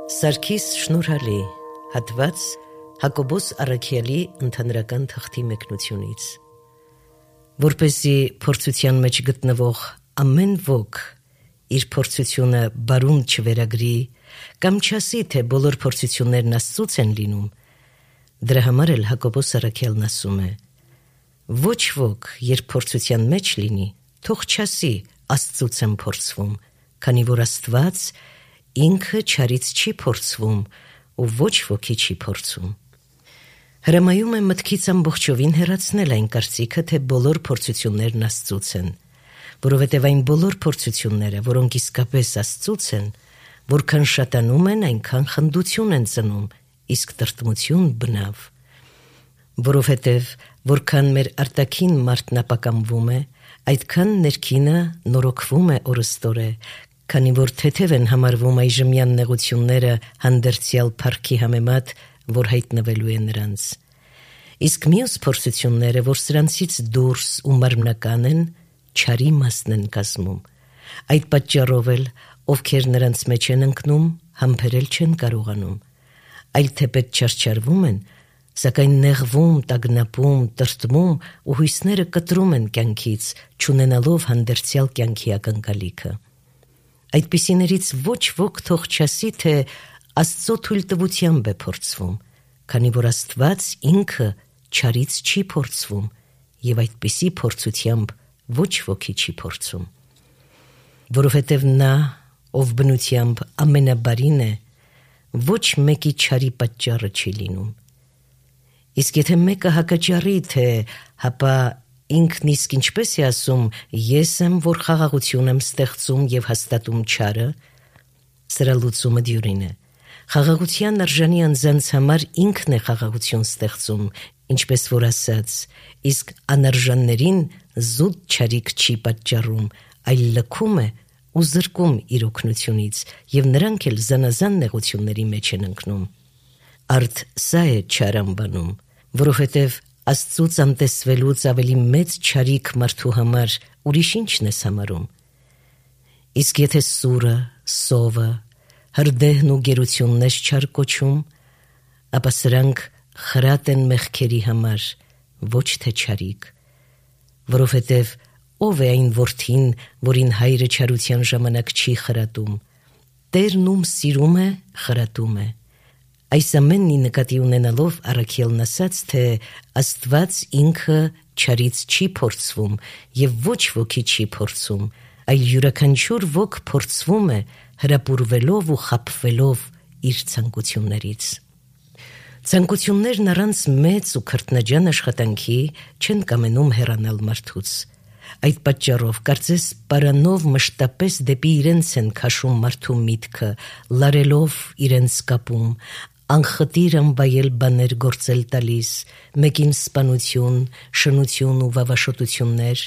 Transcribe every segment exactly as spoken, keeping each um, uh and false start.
Սարգիս Շնորհալի, հատված Հակոբոս Առաքյալի ընդհանրական թղթի մեկնությունից։ Որպեսզի փորձության մեջ գտնվող ամեն ոք իր փորձությունը բարուն չվերագրի կամ չասի, թե բոլոր փորձություններն Աստծուց են լինում, դրա համար էլ Հակոբոս Առաքյալն ասում է. ոչ ոք, երբ փորձության մեջ լինի, թող չասի Աստծուց եմ փորձվում, քանի որ Աստված ինքը չարից չի փորձվում ու ոչ ոքի չի փորձում։ Հրամայում է մտքից ամբողջովին հեռացնել այն կարծիքը, թե բոլոր փորձություններն Աստծուց են, որովհետև այն բոլոր փորձությունները, որոնք իսկապես Աստծուց են, որքան շատանում են, այնքան խնդություն են ծնում, իսկ տրտմություն բնավ։ Որովհետև որքան մեր արտաքին մարդն ապակամվում է, այդքան ներքինը նորոգվում է օրըստօրե, քանի որ թեթև են համարվում այժմյան նեղությունները հանդերձյալ փառքի համեմատ, որ հայտնվելու է նրանց։ Իսկ մյուս փորձությունները, որ սրանցից դուրս ու մարմնական են, չարի մասն են կազմում։ Այդ պատճառով էլ, ովքեր նրանց մեջ են ընկնում, համբերել չեն կարողանում, այլ թեպետ չարչարվում են, սակայն նեղվում, տագնապում, տրտմում ու հույսները կտրում են կյանքից, չունենալով հանդերձյալ կյանքի ակնկալիքը։ Այդպիսիներից ոչ ոք թող չասի, թե Աստծո թույլտվությամբ է փորձվում, քանի որ Աստված ինքը չարից չի փորձվում և այդպիսի փորձությամբ ոչ ոքի չի փորձում։ Որովհետև նա, ով բնությամբ ամենաբարին է, ոչ մեկի չարի պատճառը չի լինում։ Իսկ եթե մեկը հակաճառի, թե հապա ինքն իսկ ինչպես է ասում, ես եմ, որ խաղաղություն եմ ստեղծում և հաստատում չարը, սրա լուծումը դյուրին է։ Խաղաղության արժանի անձանց համար ինքն է խաղաղություն ստեղծում, ինչպես որ ասաց, իսկ անարժաններին զուտ չարիք չի պատճառում, այլ լքում է ու զրկում իր օգնությունից, և նրանք էլ զանազան նեղությունների մեջ են ընկնում։ Արդ սա է չար անվանում, որովհետև Աստծուց անտեսվելուց ավելի մեծ չարիք մարդու համար ուրիշ ինչն ես համարում։ Իսկ եթե սուրը, սովը, հրդեհն ու գերությունն ես չար կոչում, ապա սրանք խրատ են մեղքերի համար, ոչ թե չարիք, որովհետև ով է այն որդին, որին հայրը չարության ժամանակ չի խրատում, Տերն ում սիրում է, խրատում է։ Այս ամենի նկատի ունենալով Առաքյալն ասաց, թե Աստված ինքը չարից չի փորձվում և ոչ ոքի չի փորձում, այլ յուրաքանչյուր ոք փորձվում է հրապուրվելով ու խաբվելով իր ցանկություններից։ Ցանկություններն առանց մեծ ու քրտնաջան աշխատանքի չեն կամենում հեռանալ մարդուց։ Այդ պատճառով կարծես պարանով մշտապես դեպի իրենց են քաշում մարդու միտքը, լարելով իրենց կապում, անխտիր անվայել բաներ գործել տալիս, մեկին սպանություն, շնություն ու վավաշոտություններ,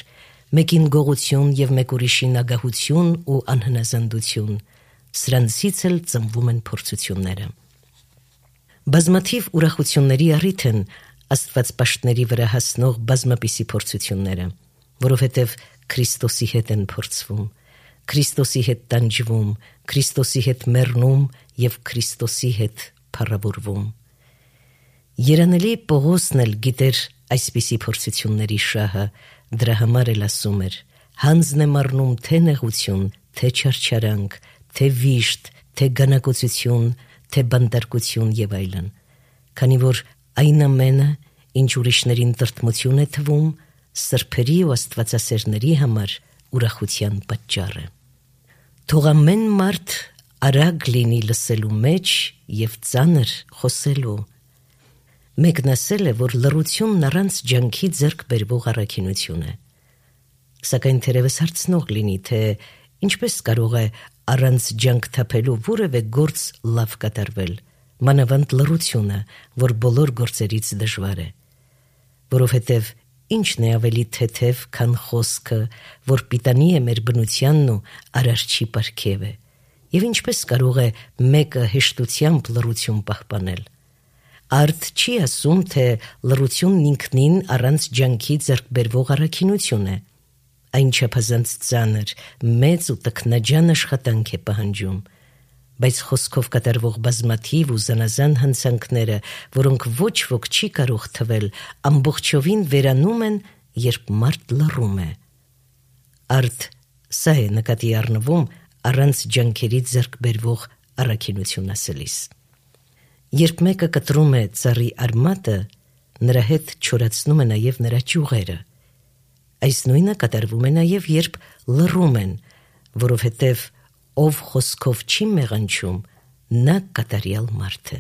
մեկին գողություն և մեկ ուրիշին ագահություն ու անհնազանդություն, սրանցից էլ ծնվում են փորձությունները։ Բազմաթիվ ուրախությունների առիթ են աստվածպաշտների վրա հասնող բազմապիսի փորձությունները, որովհետև Քրիստոսի հետ են փորձվում, Քրիստոսի հետ տանջվում, Քրիստոսի հետ մեռնում և Քրիստոսի հետ փառավորվում։ Երանելի Պողոսն էլ գիտեր այսպիսի փորձությունների շահը, դրա համար էլ ասում էր. հանձն եմ առնում թե նեղություն, թե չարչարանք, թե վիշտ, թե գանակոծություն, թե բանտարկություն և այլն, քանի որ այն ամենը, ինչ ուրիշներին տրտմություն է թվում, սրբերի ու աստվածասերների համար ուրախության պատճառ է։ Թող ամեն մարդ արագ լինի լսելու մեջ և ծանր խոսելու։ Մեկն ասել է, որ լռությունն առանց ջանքի ձեռք բերվող առաքինություն է։ Սակայն թերևս հարցնող լինի, թե ինչպես կարող է առանց ջանք թափելու որևէ գործ լավ կատարվել, մանավանդ լռությունը, որ բոլոր գործերից դժվար է։ Որովհետև ինչն է ավելի թեթև, քան խոսքը, որ պիտանի է մեր բնությանն ու արարչի պարգև է, և ինչպես կարող է մեկը հեշտությամբ լռություն պահպանել։ Արդ չի ասում, թե լռությունն ինքնին առանց ջանքի ձեռք բերվող առաքինություն է, այն չափազանց ծանր, մեծ ու տքնաջան աշխատանք է պահանջում, բայց խոսքով կատարվող բազմաթիվ ու զանազան հնցանքները, որոնք ոչ ոք չի կարող թվել, ամբողջովին վերանում են, երբ մարդ լռում է։ Արդ սա է նկատի առնվում առանց ջանքերի ձեռք բերվող առաքինություն ասելիս։ Երբ մեկը կտրում է ծառի արմատը, նրա հետ չորացնում է նաև նրա ճյուղերը։ Այս նույնը կատարվում է նաև, երբ լռում են, որովհետև ով խոսքով չի մեղանչում, նա կատարյալ մարդ է։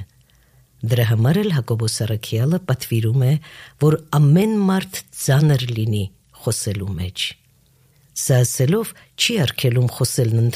Դրա համար էլ Հակոբոս առաքյալը պատվիրում է, որ ամեն մարդ ծանր լինի խոսելու մեջ։ Սա ասելով չի արգելում խոսելն